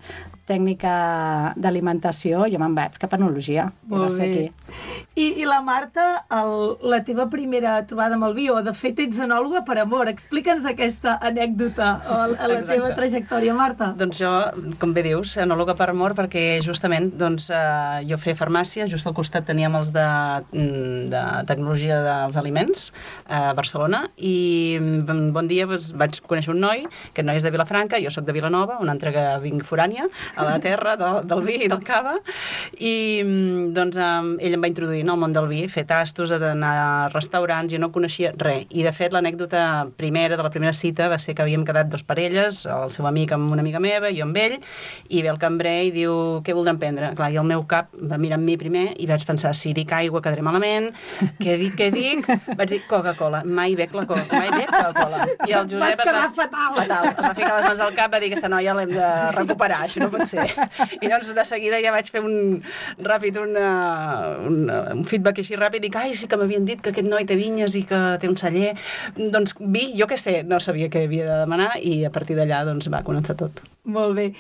tècnica d'alimentació, jo me'n vaig cap a enologia. Molt bé. Aquí. I, I la Marta, el, la teva primera trobada amb el vi, o de fet ets enòloga per amor. Explica'ns aquesta anècdota a, a la Exacte. teva trajectòria, Marta. Doncs jo, com bé dius, enòloga per amor, perquè justament doncs, eh, jo feia farmàcia, just al costat teníem els de, de tecnologia dels aliments a Barcelona, i bon dia doncs, vaig conèixer un noi, aquest noi és de Vilafranca, jo sóc de Vilanova, una altra que vinc forània, a la terra del, del vi i del cava, i doncs ell em va introduir no, al món del vi, fer tastos, d'anar a restaurants, jo no coneixia res, i de fet l'anècdota primera, de la primera cita, va ser que havíem quedat dos parelles, el seu amic amb una amiga meva, jo amb ell, i ve el cambrer i diu, què voldran prendre? Clar, i el meu cap va mirar amb mi primer i vaig pensar, si dic aigua quedaré malament, què dic, què dic? Vaig dir Coca-Cola, mai bec la Coca, mai bec Coca-Cola. I el Josep Vas quedar fatal. fatal. Es va ficar les mans al cap, va dir, aquesta noia l'hem de recuperar, això no pot ser. I llavors de seguida ja vaig fer un ràpid, una, una, un feedback així ràpid, dic, ai, sí que m'havien dit que aquest noi té vinyes i que té un celler, doncs vi, jo què sé, no sabia què havia de demanar, i a partir d'allà doncs va començar tot. Molt bé.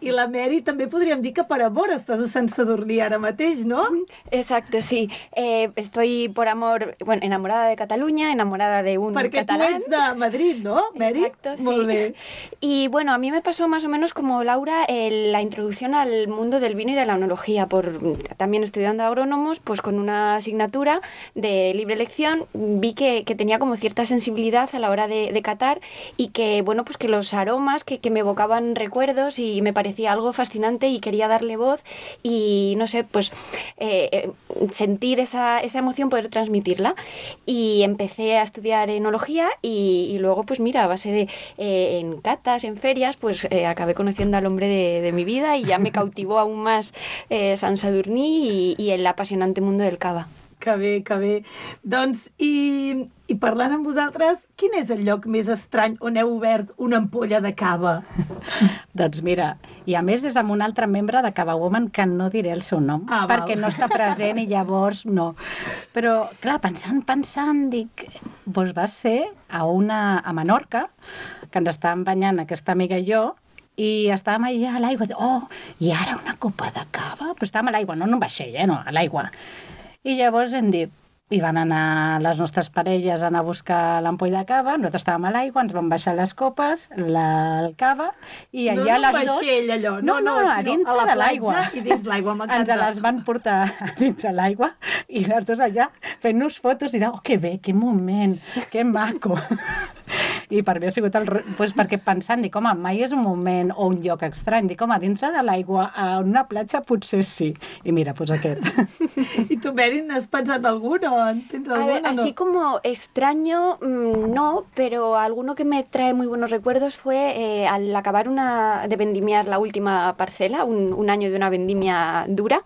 I la Mary també podríem dir que per amor estàs a Sant Sadurní ara mateix, ¿no? Exacto, sí. Eh, estoy por amor, bueno, enamorada de Cataluña, enamorada de un Porque catalán. tú eres de Madrid, ¿no, Mary? Exacto, sí. Molt bé. Y bueno, a mí me pasó más o menos como Laura el, la introducción al mundo del vino y de la enología, por también estudiando agrónomos, pues con una asignatura de libre elección, vi que, que tenía como cierta sensibilidad a la hora de, de catar y que, bueno, pues que los aromas que, que me evocaban recuerdos y me parecía algo fascinante y quería darle voz y, no sé, pues eh, eh, sentir esa, esa emoción, poder transmitirla. Y empecé a estudiar enología y, y luego, pues mira, a base de eh, en catas, en ferias, pues eh, acabé conociendo al hombre de, de mi vida y ya me cautivó aún más eh, Sant Sadurní y, y el apasionante mundo del cava. Que bé, que bé. Doncs, i, i parlant amb vosaltres, quin és el lloc més estrany on heu obert una ampolla de cava? Doncs mira, i a més és amb un altre membre de Cava Woman que no diré el seu nom, ah, perquè val. no està present i llavors no. Però, clar, pensant, pensant, dic, doncs va ser a, una, a Menorca, que ens estàvem banyant aquesta amiga i jo, i estàvem allà a l'aigua, oh, i ara una copa de cava? Però estàvem a l'aigua, no en un vaixell, eh, no, a l'aigua. I llavors hem dit, i van anar les nostres parelles a anar a buscar l'ampolla de cava, nosaltres estàvem a l'aigua, ens van baixar les copes, la, el cava, i allà no, les dos... No, vaixell, allò. No, no, no, a dintre a la de l'aigua. I dins l'aigua, m'encanta. Ens les van portar a dintre l'aigua, i les dues allà fent-nos fotos, i era, oh, que bé, que moment, que maco. I per mi ha sigut el... Pues perquè pensant, dic, home, mai és un moment o un lloc estrany. Dic, home, dintre de l'aigua, a una platja potser sí. I mira, pues aquest. I tu, Mary, n'has pensat algun o en tens algun? A ver, así no? como extraño, mmm, no, pero alguno que me trae muy buenos recuerdos fue eh, al acabar una, de vendimiar la última parcela, un, un año de una vendimia dura,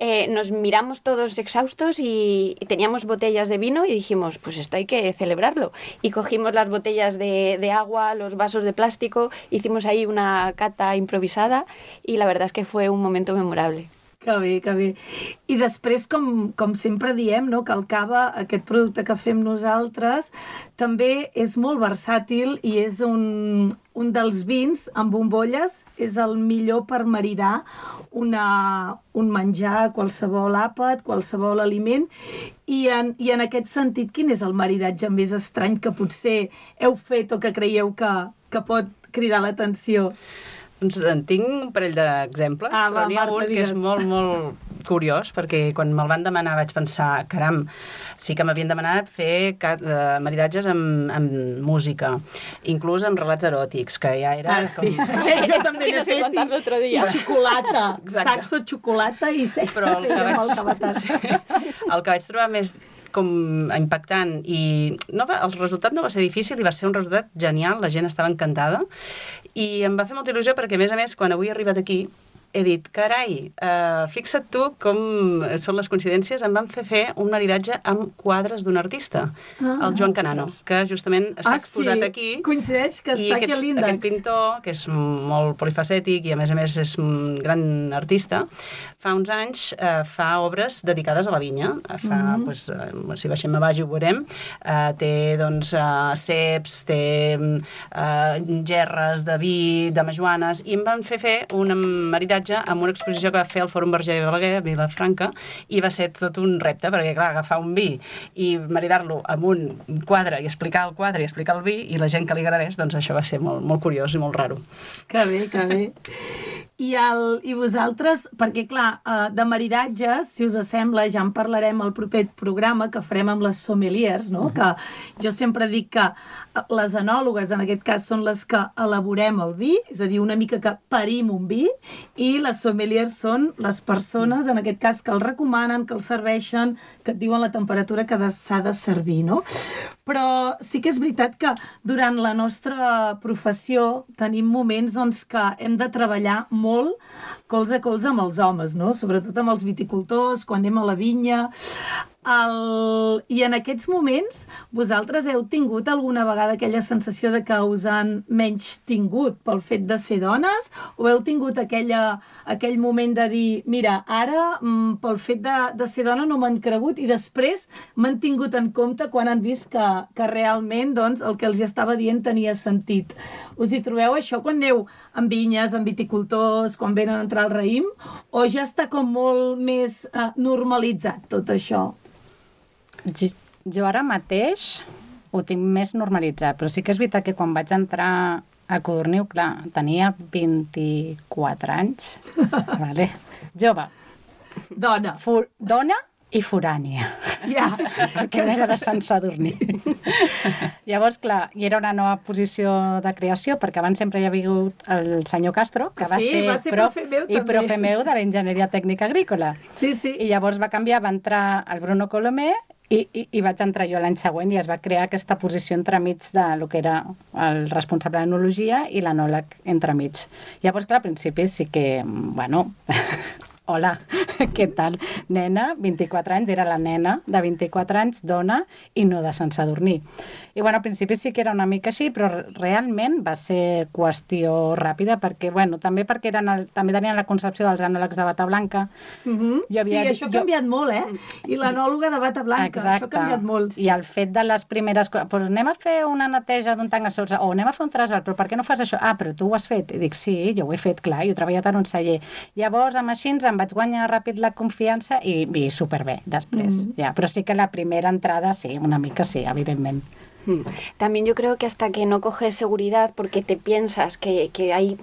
eh, nos miramos todos exhaustos y, y teníamos botellas de vino y dijimos, pues esto hay que celebrarlo. Y cogimos las botellas de, de agua, los vasos de plástico, hicimos ahí una cata improvisada y la verdad es que fue un momento memorable. Que bé, que bé. I després, com, com sempre diem, no, que el cava, aquest producte que fem nosaltres, també és molt versàtil i és un, un dels vins amb bombolles, és el millor per maridar una, un menjar, qualsevol àpat, qualsevol aliment. I en, I en aquest sentit, quin és el maridatge més estrany que potser heu fet o que creieu que, que pot cridar l'atenció? Doncs en tinc un parell d'exemples, ah, però n'hi ha un que és molt, molt curiós, perquè quan me'l van demanar vaig pensar, caram, sí que m'havien demanat fer uh, maridatges amb, amb música, inclús amb relats eròtics, que ja era... Ah, sí. Com... Jo també n'he fet, i, l'altre dia. I xocolata, saxo, xocolata i sexe. Però el que, vaig... sí, el que vaig trobar més com impactant i no va, el resultat no va ser difícil i va ser un resultat genial, la gent estava encantada i em va fer molta il·lusió perquè a més a més quan avui he arribat aquí he dit, carai, uh, fixa't tu com són les coincidències, em van fer fer un maridatge amb quadres d'un artista, ah, el Joan Canano, que justament està ah, exposat sí. aquí. Coincideix que està aquest, aquí a l'índex. Aquest pintor, que és molt polifacètic i a més a més és un gran artista, fa uns anys eh, fa obres dedicades a la vinya. Fa, mm-hmm. pues, eh, si baixem a baix ho veurem, eh, té doncs, eh, ceps, té eh, gerres de vi, de majoanes, i em van fer fer un maridatge amb una exposició que va fer al Fòrum Verger de Balaguer, a Vilafranca, i va ser tot un repte, perquè, clar, agafar un vi i maridar-lo amb un quadre i explicar el quadre i explicar el vi, i la gent que li agradés, doncs això va ser molt, molt curiós i molt raro. Que bé, que bé. I, el, I vosaltres, perquè clar, de maridatges, si us sembla, ja en parlarem al proper programa que farem amb les sommeliers, no? Uh-huh. Que jo sempre dic que les enòlogues, en aquest cas, són les que elaborem el vi, és a dir, una mica que parim un vi, i les sommeliers són les persones, en aquest cas, que el recomanen, que el serveixen, que et diuen la temperatura que s'ha de servir, no? Però sí que és veritat que durant la nostra professió tenim moments doncs, que hem de treballar molt colze a colze amb els homes, no? Sobretot amb els viticultors, quan anem a la vinya. El... I en aquests moments vosaltres heu tingut alguna vegada aquella sensació de que us han menys tingut pel fet de ser dones, o heu tingut aquella, aquell moment de dir, mira, ara pel fet de, de ser dona no m'han cregut, i després m'han tingut en compte quan han vist que, que realment doncs, el que els estava dient tenia sentit. Us hi trobeu això quan aneu en vinyes, en viticultors, quan venen a entrar al raïm, o ja està com molt més eh, normalitzat tot això? Jo, jo ara mateix ho tinc més normalitzat, però sí que és veritat que quan vaig entrar a Codorniu, clar, tenia vint-i-quatre anys, vale. Jove, dona, For, dona i forània, ja, perquè no era de Sant Sadurní. Llavors, clar, i era una nova posició de creació, perquè abans sempre hi havia hagut el senyor Castro, que va, sí, ser, va ser prof, profe meu, i profe meu de l'enginyeria tècnica agrícola. Sí, sí. I llavors va canviar, va entrar el Bruno Colomer, I, i, i vaig entrar jo l'any següent i es va crear aquesta posició entremig de lo que era el responsable d'enologia i l'enòleg entremig. Llavors, clar, al principi sí que, bueno, hola, què tal? Nena, vint-i-quatre anys, era la nena de vint-i-quatre anys, dona i no de Sant Sadurní. I bueno, al principi sí que era una mica així, però realment va ser qüestió ràpida, perquè, bueno, també perquè eren el, també tenien la concepció dels enòlegs de bata blanca. Uh-huh. havia, sí, això ha canviat jo... molt, eh? I l'enòloga de bata blanca, exacte. Això ha canviat molt. I el fet de les primeres coses, doncs anem a fer una neteja d'un tanc a sorsa, o anem a fer un trasbal, però per què no fas això? Ah, però tu ho has fet. I dic, sí, jo ho he fet, clar, jo he treballat en un celler. Llavors, amb així, em vaig guanyar ràpid la confiança i, i superbé, després. Mm. Ja, però sí que la primera entrada, sí, una mica sí, evidentment. También yo creo que hasta que no coges seguridad porque te piensas que, que hay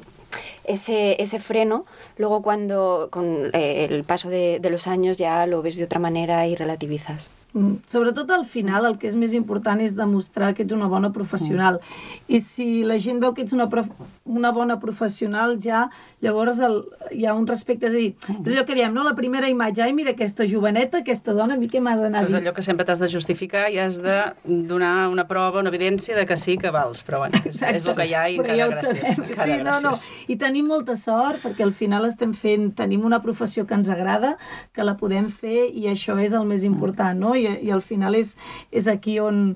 ese, ese freno, luego cuando con eh, el paso de, de los años ya lo ves de otra manera y relativizas. Mm. Sobretot al final el que és més important és demostrar que ets una bona professional. Mm. I si la gent veu que ets una, prof... una bona professional, ja llavors el... hi ha un respecte. És a dir, mm. és allò que diem, no? La primera imatge, ai, mira aquesta joveneta, aquesta dona, a mi què m'ha d'anar a dir? És allò que sempre t'has de justificar i has de donar una prova, una evidència de que sí que vals, però bueno, és, és el que hi ha i encara ja gràcies. Encara sí, no, gràcies. No. I tenim molta sort perquè al final estem fent, tenim una professió que ens agrada, que la podem fer i això és el més important, no? I, i al final és, és aquí on,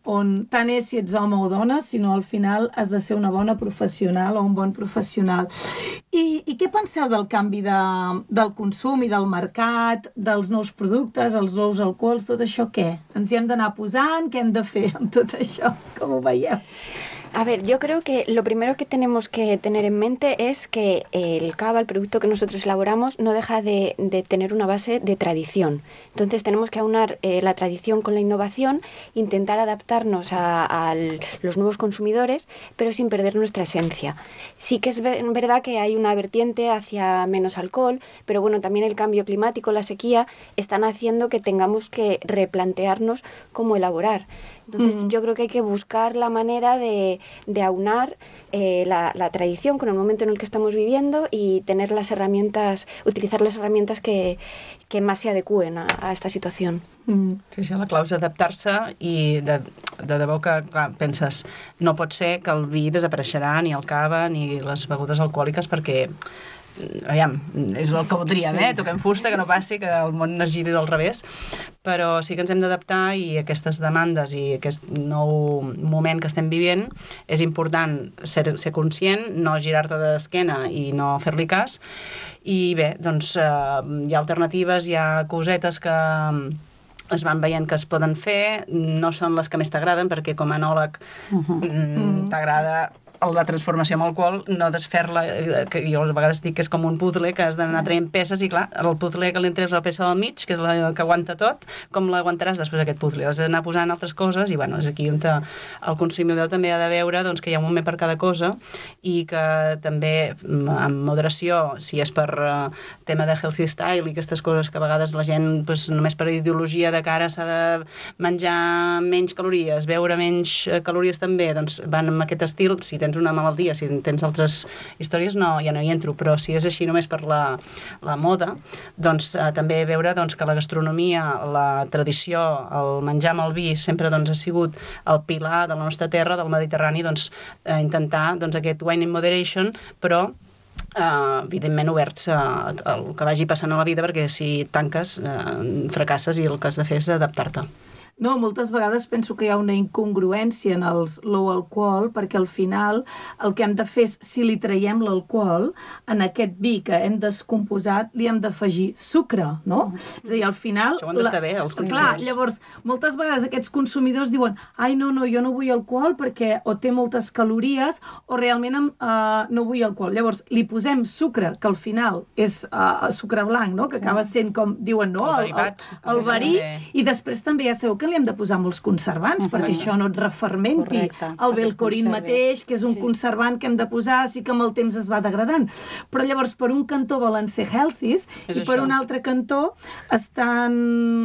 on tant és si ets home o dona, sinó al final has de ser una bona professional o un bon professional. I, i què penseu del canvi de, del consum i del mercat, dels nous productes, els nous alcohols, tot això què? Ens hi hem d'anar posant? Què hem de fer amb tot això? Com ho veieu? A ver, yo creo que lo primero que tenemos que tener en mente es que el cava, el producto que nosotros elaboramos, no deja de, de tener una base de tradición. Entonces tenemos que aunar eh, la tradición con la innovación, intentar adaptarnos a, a los nuevos consumidores, pero sin perder nuestra esencia. Sí que es verdad que hay una vertiente hacia menos alcohol, pero bueno, también el cambio climático, la sequía, están haciendo que tengamos que replantearnos cómo elaborar. Entonces, mm. yo creo que hay que buscar la manera de, de aunar eh, la, la tradición con el momento en el que estamos viviendo y tener las herramientas, utilizar las herramientas que, que más se adecúen a, a esta situación. Mm. Sí, sí, la clau és adaptar-se i de, de debò que, clar, penses, no pot ser que el vi desapareixerà, ni el cava, ni les begudes alcohòliques, perquè aviam, és el que voldríem, eh? Toquem fusta, que no passi, que el món es giri del revés, però sí que ens hem d'adaptar i aquestes demandes i aquest nou moment que estem vivint és important ser, ser conscient, no girar-te d'esquena i no fer-li cas, i bé, doncs eh, hi ha alternatives, hi ha cosetes que es van veient que es poden fer, no són les que més t'agraden, perquè com a enòleg uh-huh. t'agrada la transformació amb alcohol, no desfer-la, que jo a vegades dic que és com un puzzle, que has d'anar traient peces, i clar, el puzzle que li entreus la peça del mig, que és la que aguanta tot, com l'aguantaràs després aquest puzzle? Has d'anar posant altres coses, i bueno, és aquí on el consumidor també ha de veure doncs, que hi ha un moment per cada cosa, i que també, amb moderació, si és per uh, tema de healthy style i aquestes coses que a vegades la gent, pues, només per ideologia de cara s'ha de menjar menys calories, beure menys calories també, doncs van amb aquest estil, si tens una malaltia, si tens altres històries, no, ja no hi entro, però si és així només per la, la moda, doncs eh, també veure doncs, que la gastronomia, la tradició, el menjar amb el vi sempre doncs, ha sigut el pilar de la nostra terra, del Mediterrani, doncs eh, intentar doncs, aquest wine in moderation, però Uh, evidentment oberts a, a el que vagi passant a la vida, perquè si tanques uh, fracasses i el que has de fer és adaptar-te. No, moltes vegades penso que hi ha una incongruència en els low alcohol, perquè al final el que hem de fer és, si li traiem l'alcohol, en aquest vi que hem descomposat li hem d'afegir sucre, no? És a dir, al final... Això ho han de saber, els consumidors. Clar, llavors, moltes vegades aquests consumidors diuen ai, no, no, jo no vull alcohol perquè o té moltes calories o realment uh, no vull alcohol. Llavors, li posem sucre, que al final és uh, sucre blanc, no? Que sí. Acaba sent com diuen, no? El derivats. El, el, el verí, i després també ja sabeu que li hem de posar molts conservants, uh-huh. perquè això no et refermenti. Correcte. El belcorin mateix, que és un sí. conservant que hem de posar, sí que amb el temps es va degradant. Però llavors, per un cantó volen ser healthies, és i això. Per un altre cantó estan...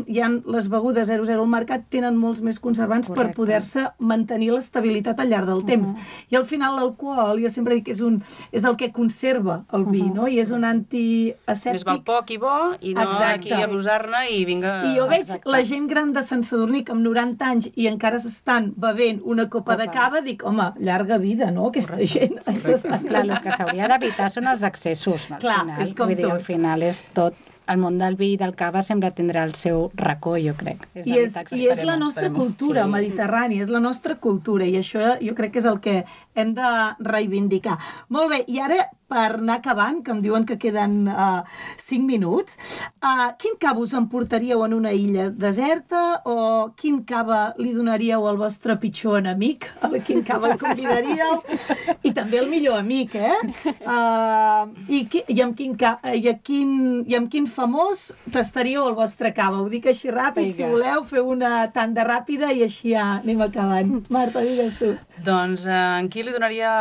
hi ha les begudes zero zero al mercat, tenen molts més conservants Correcte. Per poder-se mantenir l'estabilitat al llarg del uh-huh. temps. I al final l'alcohol, jo sempre dic que és, un, és el que conserva el vi, uh-huh. no? I és un antiasèptic. Més val poc i bo, i no Exacte. Aquí abusar-ne i vinga... I jo veig Exacte. La gent gran de Sant Sadurní, que amb noranta anys i encara s'estan bevent una copa, copa de cava, dic, home, llarga vida, no?, aquesta Correcte. Gent. Correcte. Clar, el que s'hauria d'evitar són els excessos, no? Al Clar, final. és com Vull dir, tot. Al final és tot. El món del vi i del cava sempre tindrà el seu racó, jo crec. És I, és, I és la nostra cultura sí. mediterrània, és la nostra cultura, i això jo crec que és el que hem de reivindicar. Molt bé, i ara, per anar acabant, que em diuen que queden uh, cinc minuts, uh, quin cava us emportaríeu en una illa deserta o quin cava li donaríeu al vostre pitjor enemic? A quin cava el convidaríeu? I també el millor amic, eh? Uh, i, qui, i, amb quin ca, i, a quin, I amb quin famós tastaríeu el vostre cava? Ho dic així ràpid, Vinga. Si voleu, feu una tanda ràpida i així ja anem acabant. Marta, digues tu. Doncs uh, en qui li donaria...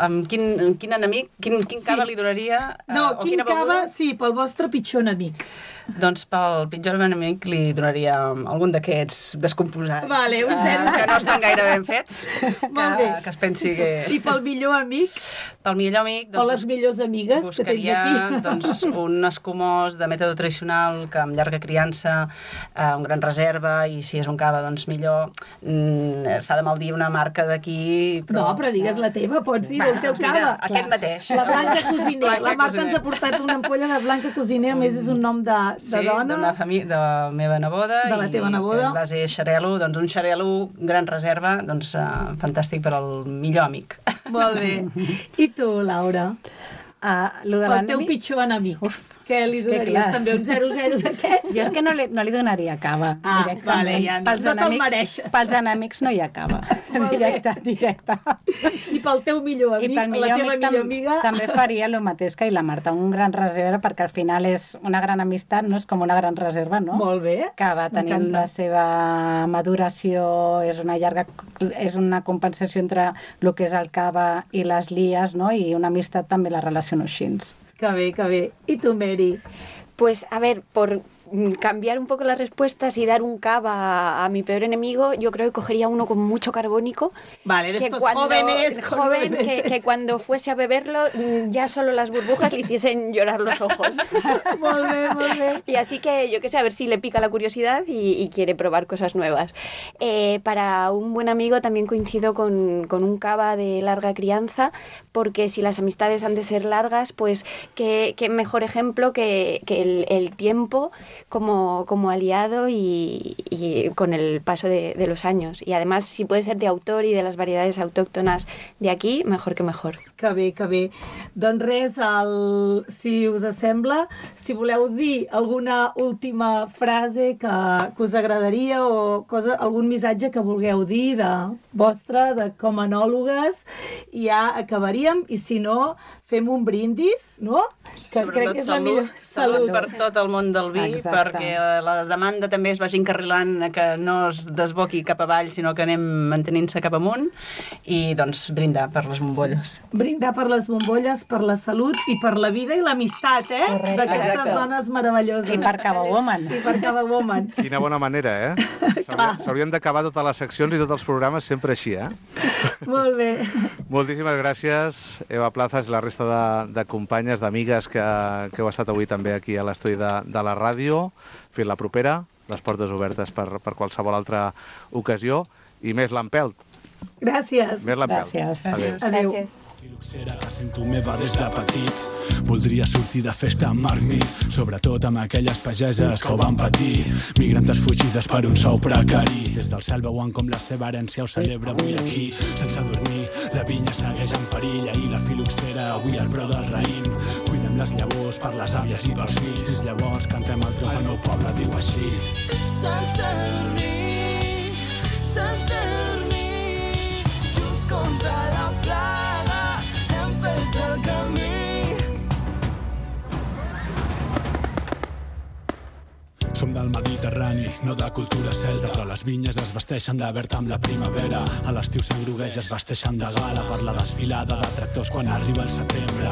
Amb quin, amb quin enemic? Quin, quin cava sí. li donaria? Uh, no, o quin quina cava, beguda? sí, pel vostre pitjor enemic. Doncs pel pitjor enemic li donaria algun d'aquests descomposats. Vale, un zero. Uh, que no estan gaire ben fets. que, que es pensi que... I pel millor amic? Pel millor amic... Doncs, o les millors amigues que tens aquí? Doncs, un escumós de mètode tradicional que amb llarga criança, uh, un gran reserva, i si és un cava, doncs millor. Mm, fa de mal dir una marca d'aquí, però... No, però digues la teva, pots dir, Va, el teu doncs mira, cava. Aquest mateix. La Blanca Cosiner. Blanca la Marta Cosiner. ens ha portat una ampolla de Blanca Cosiner, a més és un nom de, de sí, dona. Sí, famí- de la meva neboda. De la teva neboda. I que es base xarel·lo, doncs un xarel·lo, gran reserva, doncs uh, fantàstic per al millor amic. Molt bé. I tu, Laura? Uh, lo de el teu pitjor enemic. Uf, què li donaries? També un zero zero d'aquests? Jo és que no li, no li donaria cava, ah, directament. Vale, ja no, pels, no enemics, pels enemics no hi ha cava. Directe, directe. I pel teu millor amic, I pel millor la teva amic millor tam amiga... també faria el mateix que i la Marta, un gran reserva, perquè al final és una gran amistat, no és com una gran reserva, no? Molt bé. Que va tenir la seva maduració, és una llarga... és una compensació entre el que és el cava i les lies, no? I una amistat també la relaciono així. Que bé, que bé. I tu, Mary? Pues, a ver, por cambiar un poco las respuestas y dar un cava a, a mi peor enemigo, yo creo que cogería uno con mucho carbónico. Vale, de que estos cuando, jóvenes. joven, que, que cuando fuese a beberlo, ya solo las burbujas le hiciesen llorar los ojos. Molt bé, molt bé. Y así que, yo qué sé, a ver si le pica la curiosidad y, y quiere probar cosas nuevas. Eh, para un buen amigo también coincido con, con un cava de larga crianza, porque si las amistades han de ser largas, pues qué, qué mejor ejemplo que, que el, el tiempo como, como aliado y, y con el paso de, de los años. Y además, si puede ser de autor y de las variedades autóctonas de aquí, mejor que mejor. Que bé, que bé. Doncs res, el, si us sembla, si voleu dir alguna última frase que, que us agradaria o cosa, algun missatge que vulgueu dir de vostre, de com a enòlogues, i ja acabaríem, i si no, fem un brindis, no? Que Sobretot salut, salut per tot el món del vi, Exacte. perquè la demanda també es vagi encarrilant a que no es desboqui cap avall, sinó que anem mantenint-se cap amunt, i doncs brindar per les bombolles. Brindar per les bombolles, per la salut i per la vida i l'amistat, eh? D'aquestes Exacte. dones meravelloses. I per Cava Woman. I per Cava Woman. Quina bona manera, eh? S'hauria- S'haurien d'acabar totes les seccions i tots els programes sempre així, eh? Molt bé. Moltíssimes gràcies, Eva Plazas i la resta de, de companyes, d'amigues que, que heu estat avui també aquí a l'estudi de, de la ràdio. Fins la propera, les portes obertes per, per qualsevol altra ocasió. I més l'empelt. Gràcies. Més l'empelt. Gràcies. Adéu. Adéu. Filoxera que sento meva des de petit. Voldria sortir de festa amb Marc, sobretot amb aquelles pageses que ho van patir. Migrantes fugides per un sou precari. Des del cel veuen com la seva herència ho celebra avui aquí. Sense dormir, la vinya segueix en perill. I la filoxera avui al preu del raïm. Cuidem les llavors per les àvies i pels fills. Des llavors cantem el triomf al meu poble, diu així. Sense dormir, sense dormir, junts contra la plaga, hem fet el camí. Som del Mediterrani, no de cultura celta, però les vinyes es vesteixen de verd amb la primavera. A l'estiu s'engrogueix, es vesteixen de gala per la desfilada de tractors quan arriba el setembre.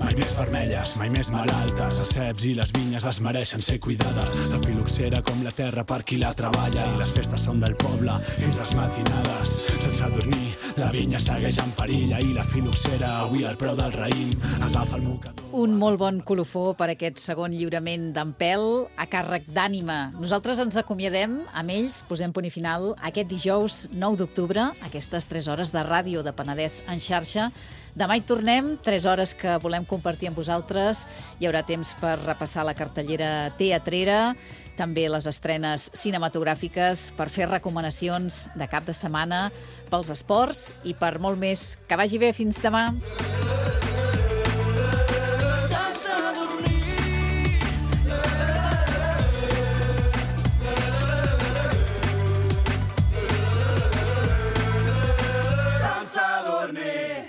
Mai més vermelles, mai més malaltes. Els ceps i les vinyes es mereixen ser cuidades. La filoxera com la terra per qui la treballa, i les festes són del poble fins les matinades. Sense dormir, la vinya segueix en perill, i la filoxera avui al preu del raïm. Agafa el mocador. Un molt bon colofó per aquest segon lliurament d'Empel a càrrec d'Ànima. Nosaltres ens acomiadem amb ells, posem punt i final aquest dijous nou d'octubre, aquestes tres hores de ràdio de Penedès en xarxa. Demà hi tornem, tres hores que volem compartir amb vosaltres. Hi haurà temps per repassar la cartellera teatrera, també les estrenes cinematogràfiques, per fer recomanacions de cap de setmana pels esports i per molt més. Que vagi bé, fins demà. Sense dormir.